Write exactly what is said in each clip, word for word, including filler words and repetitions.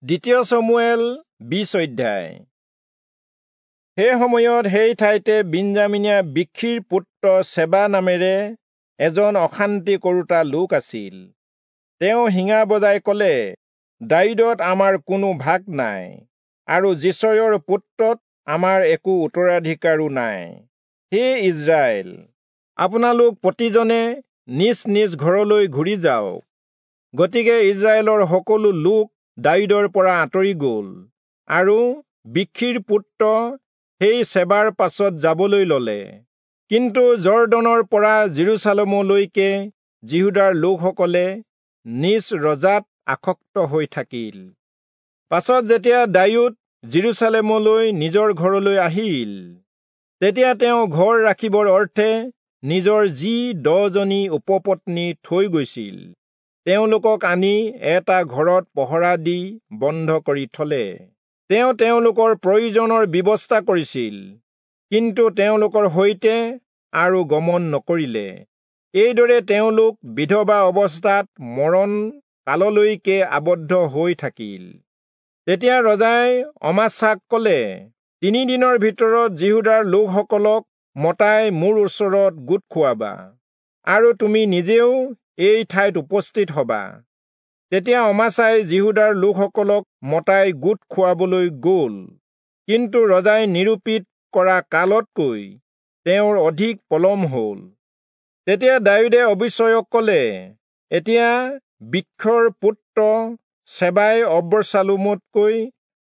দ্বিতীয় চমূৱেল বিশ অধ্যায়। সেই সময়ত সেই ঠাইতে বিন্যামীনীয়া বিখ্ৰীৰ পুত্ৰ চেবা নামেৰে এজন অশান্তি কৰোঁতা লোক আছিল। তেওঁ শিঙা বজাই কলে, দায়ূদত আমাৰ কোনো ভাগ নাই আৰু যিচয়ৰ পুত্ৰত আমাৰ একো উত্তৰাধিকাৰো নাই। হে ইস্ৰায়েল, আপোনালোক প্ৰতিজনে নিজ নিজ ঘৰলৈ ঘূৰি যাওক। গতিকে ইস্ৰায়েলৰ সকলো লোক দায়ূদৰ পৰা আঁতৰি গল আৰু বিখ্ৰীৰ পুত্ৰ সেই চেবাৰ পাছত যাবলৈ ললে। কিন্তু যৰ্দনৰ পৰা যিৰূচালেমলৈকে যিহূদাৰ লোকসকলে নিজ ৰজাত আসক্ত হৈ থাকিল। পাছত যেতিয়া দায়ূদ যিৰূচালেমলৈ নিজৰ ঘৰলৈ আহিল, তেতিয়া তেওঁ ঘৰ ৰাখিবৰ অৰ্থে নিজৰ যি দহজনী উপপত্নী থৈ গৈছিল, তেওঁলোকক আনি এটা ঘৰত পহৰা দি বন্ধ কৰি থলে। তেওঁ তেওঁলোকৰ প্ৰয়োজনৰ ব্যৱস্থা কৰিছিল, কিন্তু তেওঁলোকৰ সৈতে আৰু গমন নকৰিলে। এইদৰে তেওঁলোক বিধৱা অৱস্থাত মৰণ কাললৈকে আবদ্ধ হৈ থাকিল। তেতিয়া ৰজাই অমাচাক কলে, তিনিদিনৰ ভিতৰত যিহূদাৰ লোকসকলক মতাই মোৰ ওচৰত গোট খুৱাবা, আৰু তুমি নিজেও এই ঠাইত উপস্থিত হবা। তেতিয়া অমাচাই যিহূদাৰ লোকসকলক মতাই গোট খুৱাবলৈ গল, কিন্তু ৰজাই নিৰূপিত কৰা কালতকৈ তেওঁৰ অধিক পলম হল। তেতিয়া দায়ূদে অবিচয়ক কলে, এতিয়া বিখ্ৰীৰ পুত্ৰ চেবাই অবচালোমতকৈ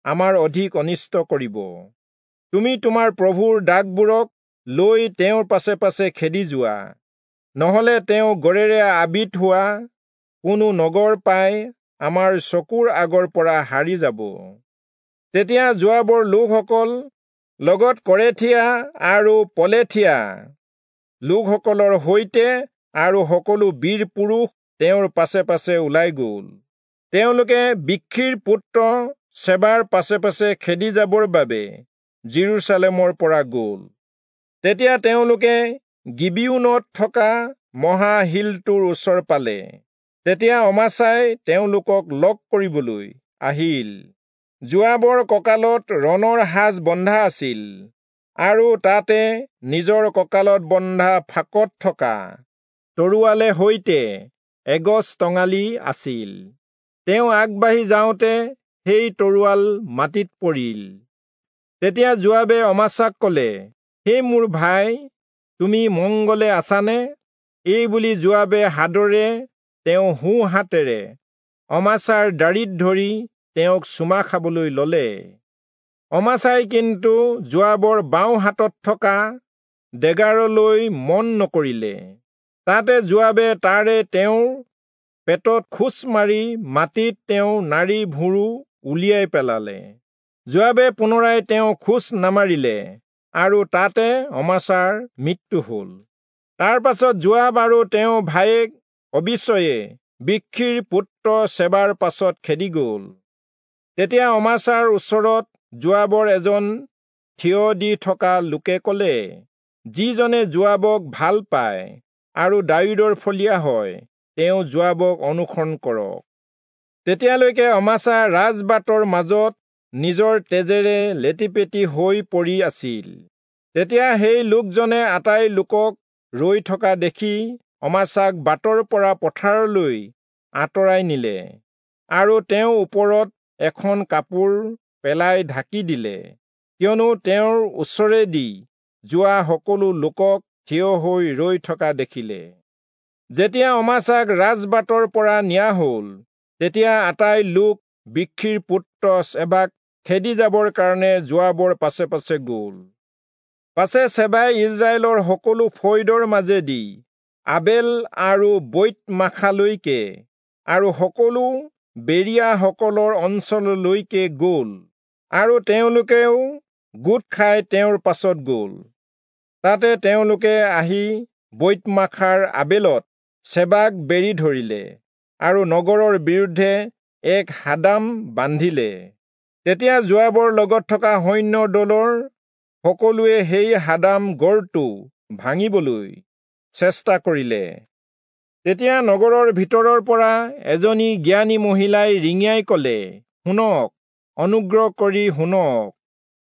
আমাৰ অধিক অনিষ্ট কৰিব। তুমি তোমাৰ প্ৰভুৰ দাসবোৰক লৈ তেওঁৰ পাছে পাছে খেদি যোৱা, নহলে তেওঁ গড়েৰে আবৃত হোৱা কোনো নগৰ পাই আমাৰ চকুৰ আগৰ পৰা হাৰি যাব। তেতিয়া যোৱাবৰ লোকসকল লগত কৰেথীয়া আৰু পলেথীয়া লোকসকলৰ সৈতে আৰু সকলো বীৰ পুৰুষ তেওঁৰ পাছে পাছে ওলাই গল। তেওঁলোকে বিখ্ৰীৰ পুত্ৰ চেবাৰ পাছে পাছে খেদি যাবৰ বাবে যিৰূচালেমৰ পৰা গল। তেতিয়া তেওঁলোকে গিবিয়োনত থকা মহাশিলটোৰ ওচৰ পালে। তেতিয়া অমাচাই তেওঁলোকক লগ কৰিবলৈ আহিল। যোৱাবৰ কঁকালত ৰণৰ সাজ বন্ধা আছিল আৰু তাতে নিজৰ কঁকালত বন্ধা ফাকত থকা তৰোৱালে সৈতে এগছ টঙালি আছিল। তেওঁ আগবাঢ়ি যাওঁতে সেই তৰোৱাল মাটিত পৰিল। তেতিয়া যোৱাবে অমাচাক কলে, হে মোৰ ভাই, তুমি মংগলে আছানে? এই বুলি যোৱাবে সাদৰে তেওঁ সোঁ হাতেৰে অমাচাৰ দাড়িত ধৰি তেওঁক চুমা খাবলৈ ললে। অমাচাই কিন্তু যোৱাবৰ বাওঁ হাতত থকা ডেগাৰলৈ মন নকৰিলে। তাতে যোৱাবে তাৰে তেওঁৰ পেটত খোঁচ মাৰি মাটিত তেওঁ নাড়ী ভুঁৰো উলিয়াই পেলালে। যোৱাবে পুনৰাই তেওঁ খোঁচ নামাৰিলে আৰু তাতে অমাচাৰ মৃত্যু হল। তাৰ পাছত যোৱাব আৰু তেওঁ ভায়েক অবিচয়ে বিখ্ৰীৰ পুত্ৰ চেবাৰ পাছত খেদি গল। তেতিয়া অমাচাৰ ওচৰত যোৱাবৰ এজন থিয় দি থকা লোকে কলে, যিজনে যোৱাবক ভাল পায় আৰু দায়ূদৰ ফলীয়া হয়, তেওঁ যোৱাবক অনুসৰণ কৰক। তেতিয়ালৈকে অমাচা ৰাজবাটৰ মাজত নিজৰ তেজেৰে লেটিপেটি হৈ পৰি আছিল। তেতিয়া সেই লোকজনে আটাই লোকক ৰৈ থকা দেখি অমাচাক বাটৰ পৰা পথাৰলৈ আঁতৰাই নিলে আৰু তেওঁৰ ওপৰত এখন কাপোৰ পেলাই ঢাকি দিলে, কিয়নো তেওঁৰ ওচৰেদি যোৱা সকলো লোকক থিয় হৈ ৰৈ থকা দেখিলে। যেতিয়া অমাচাক ৰাজবাটৰ পৰা নিয়া হল, তেতিয়া আটাই লোক বিখ্ৰীৰ পুত্ৰ চেবাক খেদি যাবৰ কাৰণে যোৱাবৰ পাছে পাছে গল। পাছে চেবাই ইস্ৰায়েলৰ সকলো ফৈদৰ মাজেদি আবেল আৰু বৈৎমাখালৈকে আৰু সকলো বেৰিয়াসকলৰ অঞ্চললৈকে গল, আৰু তেওঁলোকেও গোট খাই তেওঁৰ পাছত গল। তাতে তেওঁলোকে আহি বৈৎমাখাৰ আবেলত চেবাক বেৰি ধৰিলে আৰু নগৰৰ বিৰুদ্ধে এক হাদাম বান্ধিলে। তেতিয়া যোৱাবৰ লগত থকা সৈন্য দলৰ সকলোৱে সেই হাদাম গড়টো ভাঙিবলৈ চেষ্টা কৰিলে। তেতিয়া নগৰৰ ভিতৰৰ পৰা এজনী জ্ঞানী মহিলাই ৰিঙিয়াই কলে, শুনক, অনুগ্ৰহ কৰি শুনক।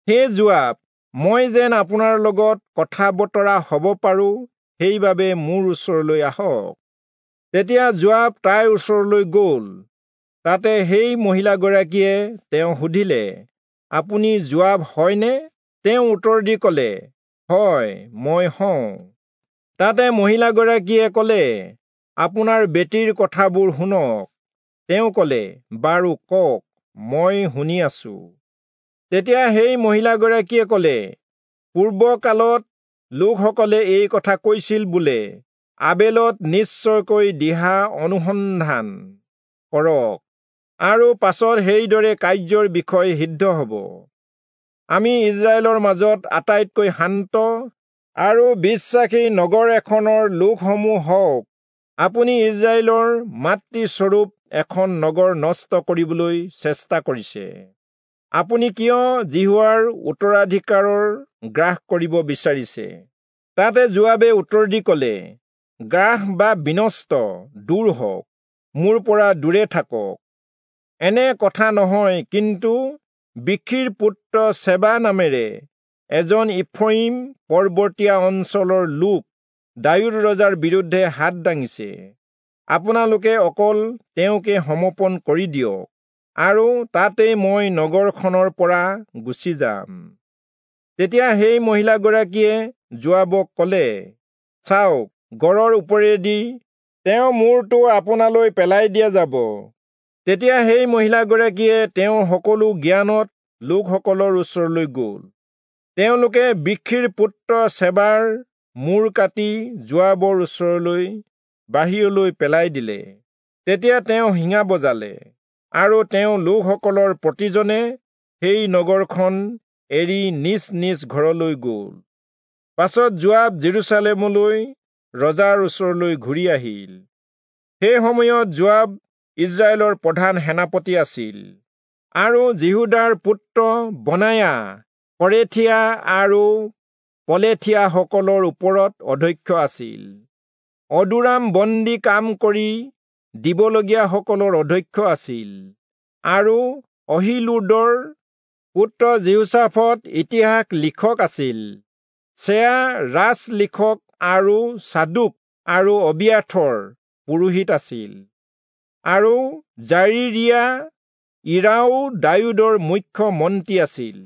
হে যোৱাব, মই যেন আপোনাৰ লগত কথা বতৰা হ'ব পাৰোঁ, সেইবাবে মোৰ ওচৰলৈ আহক। তেতিয়া যোৱাব তাইৰ ওচৰলৈ গ'ল। তাতে সেই মহিলাগৰাকীয়ে তেওঁ সুধিলে, আপুনি যোৱাব হয়নে? তেওঁ উত্তৰ দি ক'লে, হয়, মই হওঁ। তাতে মহিলাগৰাকীয়ে ক'লে, আপোনাৰ বেটীৰ কথাবোৰ শুনক। তেওঁ ক'লে, বাৰু কওক, মই শুনি আছো। তেতিয়া সেই মহিলাগৰাকীয়ে ক'লে, পূৰ্বকালত লোকসকলে এই কথা কৈছিল বোলে, আবেলত নিশ্চয়কৈ দিহা অনুসন্ধান কৰক, আৰু পাছত সেইদৰে কাৰ্যৰ বিষয় সিদ্ধ হ'ব। আমি ইজৰাইলৰ মাজত আটাইতকৈ শান্ত আৰু বিশ্বাসী নগৰ এখনৰ লোকসমূহ হওক। আপুনি ইজৰাইলৰ মাতৃস্বৰূপ এখন নগৰ নষ্ট কৰিবলৈ চেষ্টা কৰিছে। আপুনি কিয় যিহোৱাৰ উত্তৰাধিকাৰৰ গ্ৰাস কৰিব বিচাৰিছে? তাতে যোৱাবে উত্তৰ দি ক'লে, গ্ৰাস বা বিনষ্ট দূৰ হওক, মোৰ পৰা দূৰে থাকক। এনে কথা নহয়, কিন্তু বিখ্ৰীৰ পুত্ৰ চেবা নামেৰে এজন ইফ্ৰয়িম পৰ্বতীয়া অঞ্চলৰ লোক দায়ূদ ৰজাৰ বিৰুদ্ধে হাত দাঙিছে। আপোনালোকে অকল তেওঁকে সমৰ্পণ কৰি দিয়ক, আৰু তাতেই মই নগৰখনৰ পৰা গুচি যাম। তেতিয়া সেই মহিলাগৰাকীয়ে যোৱাবক ক'লে, চাওক, গড়ৰ ওপৰেদি তেওঁ মূৰটো আপোনালৈ পেলাই দিয়া যাব। তেতিয়া সেই মহিলাগৰাকীয়ে তেওঁৰ সকলো জ্ঞানত লোকসকলৰ ওচৰলৈ গ'ল। তেওঁলোকে বিখ্ৰীৰ পুত্ৰ চেবাৰ মূৰ কাটি যোৱাবৰ ওচৰলৈ বাহিৰলৈ পেলাই দিলে। তেতিয়া তেওঁ শিঙা বজালে, আৰু তেওঁ লোকসকলৰ প্ৰতিজনে সেই নগৰখন এৰি নিজ নিজ ঘৰলৈ গ'ল। পাছত যোৱাব জেৰুচালেমলৈ ৰজাৰ ওচৰলৈ ঘূৰি আহিল। সেই সময়ত যোৱাব ইজৰাইলৰ প্ৰধান সেনাপতি আছিল, আৰু যিহূদাৰ পুত্ৰ বনায়া কৰেথীয়া আৰু পলেথীয়াসকলৰ ওপৰত অধ্যক্ষ আছিল। অদোৰাম বন্দী কাম কৰি দিবলগীয়াসকলৰ অধ্যক্ষ আছিল, আৰু অহীলূদৰ পুত্ৰ যিহোচাফট ইতিহাস লিখক আছিল। চেয়া ৰাজ লিখক আৰু চাদোক আৰু অবিয়াথৰ পুৰোহিত আছিল, আৰু জাৰিৰিয়া ইৰাও দায়ূদৰ মুখ্য মন্ত্ৰী আছিল।